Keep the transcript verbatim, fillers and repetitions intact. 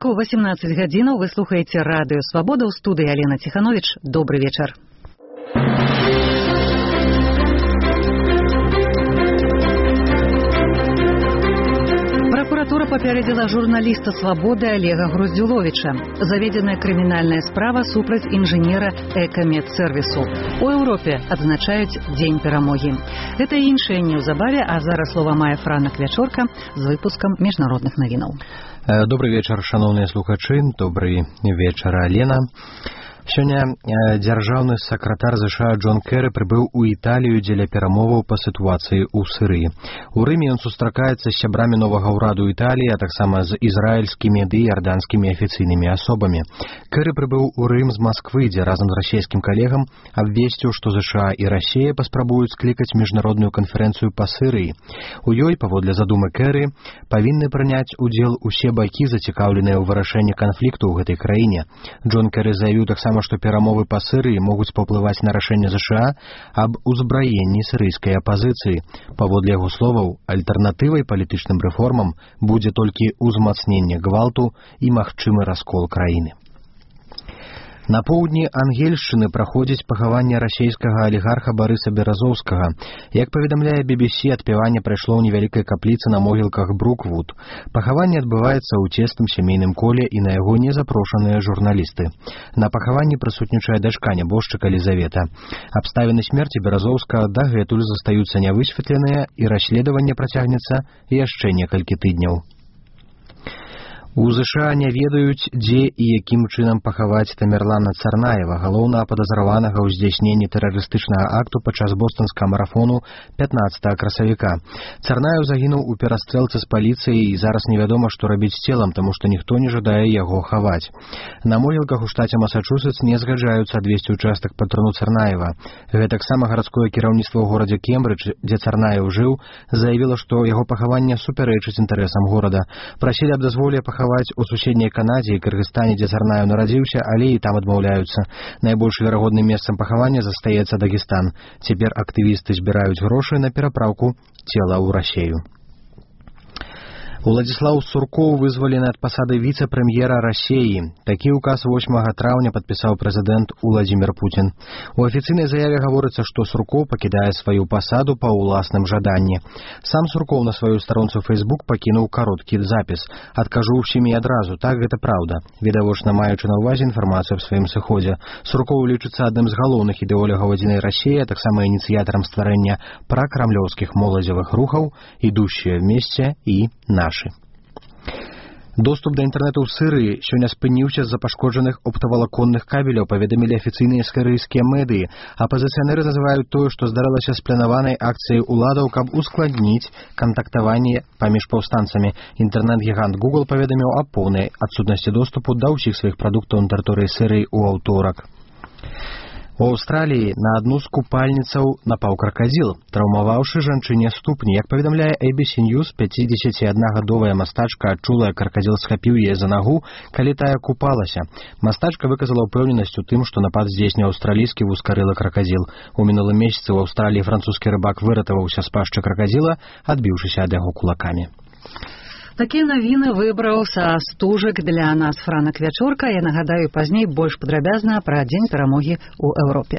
Ровеску восемнадцать гадзінаў вы слухаеце радыё Свабода, ў студыі Алена Ціхановіч. Добры вечар. Прокуратура папярэдзіла журналіста «Свабоды» Олега Груздзюловіча. Заведзеная крымінальная справа супраць інжынера Экамедсервісу. У Еўропе адзначаюць Дзень перамогі. Гэта і іншае неўзабаве, а зараз слова мае Франак Вячорка з выпускам міжнародных навінаў. Добрый вечар, шановныя слухачы, добрый вечар, Алена. Сёння дзяржаўны сакратар ЗША Джон Кэры прыбыў у Італію дзеля перамоваў па сітуацыі ў Сырыі. У Рыме ён сустракаецца з сябрамі новага ўраду Італіі, а таксама з ізраільскімі ды іарданскімі афіцыйнымі асобамі. Кэры прыбыў у Рым з Масквы, дзе разам з расійскім калегам абвесціў, што ЗША і Расія паспрабуюць склікаць міжнародную канферэнцыю па Сырыі. У ёй, паводле задумы Кэры, павінны прыняць удзел усе бакі, зацікаўленыя ў вырашэнні канфлікту ў гэтай краіне. Джон Кэры заявіў таксама, што перамовы па Сырыі могуць паўплываць на рашэнне ЗША аб узбраенні сірыйскай апазіцыі. Паводле яго словаў, альтэрнатывай палітычным рэформам будзе толькі ўзмацненне гвалту і магчымы раскол краіны. На поўдні Ангельшчыны праходзіць пахаванне расійскага алігарха Барыса Беразоўскага. Як паведамляе би би сі, адпяванне прайшло ў невялікай капліцы на могілках Бруквуд. Пахаванне адбываецца ў цесным сямейным коле і на яго не запрошаныя журналісты. На пахаванні прысутнічае дачка нябожчыка Лізавета. Абставіны смерці Беразоўскага дагэтуль застаюцца нявысветленыя, і расследаванне працягнецца яшчэ некалькі тыдняў. У ЗША не ведаюць, дзе і якім чынам пахаваць Тамерлана Царнаева, галоўнага падазраванага ў здзяйсненні тэрарыстычнага акту падчас бостанскага марафону пятнаццатага красавіка. Царнаев загінуў у перастрэлцы з паліцыяй, і зараз невядома, што рабіць з целам, таму што ніхто не жадае яго хаваць. На могілках у штаце Масачусетс не згаджаюцца адвесці ўчастак па труну Царнаева. Гэтаксама гарадское кіраўніцтва ў горадзе Кембрыдж, дзе Царнаев жыў, заявіла, што яго пахаванне супярэчыць інтарэсам горада. Прасілі аб дазволе пахаваць у суседняй Канадзе і Кыргызстане, дзе Царнаев нарадзіўся, але і там адмаўляюцца. Найбольш верагодным месцам пахавання застаецца Дагестан. Цяпер актывісты збіраюць грошы на перапраўку цела ў Расею. Уладзіслаў Суркоў вызвалены ад пасады віцэ-прэм'ера Расеі. Такі ўказ восьмага траўня падпісаў прэзідэнт Уладзімір Пуцін. У афіцыйнай заяве гаворыцца, што Суркоў пакідае сваю пасаду па ўласным жаданні. Сам Суркоў на сваю старонцу Facebook пакінуў кароткі запіс. «Адкажу ўсім і адразу, так гэта праўда», відавочна маючы на ўвазе інфармацыю аб сваім сыходзе. Суркоў лічыцца адным з галоўных ідэолягаў адзінай Расіі, а таксама ініцыятарам стварэння пракрамлёўскіх моладзевых рухаў «Ідущие вместе» і «Наши». Доступ да інтэрнэту ў Сырыі сёння спыніўся з-за пашкоджаных оптавалаконных кабеляў, паведамілі афіцыйныя сірыйскія медыі. Апазіцыянеры называюць тое, што здарылася з планаванай акцыяй уладаў, каб ускладніць кантактаванне паміж паўстанцамі. Інтэрнэт-гігант Google паведаміў аб поўнай адсутнасці доступу да ўсіх сваіх прадуктаў на тэрыторыі Сырыі ў аўторак. У Аўстраліі на адну з купальніцаў напаў кракадзіл, траўмаваўшы жанчыне ступні. Як паведамляе эй би си News, пяцідзесяціаднагадовая мастачка адчула, як кракадзіл схапіў яе за нагу, калі тая купалася. Мастачка выказала ўпэўненасць у тым, што напад здзейсніў аўстралійскі вузкарылы кракадзіл. У мінулым месяцы ў Аўстраліі французскі рыбак выратаваўся з пашчы кракадзіла, адбіўшыся ад яго кулакамі. Такія навіны выбраў са стужак для нас Франак Вячорка. Я нагадаю пазней больш падрабязна пра Дзень перамогі ў Еўропе.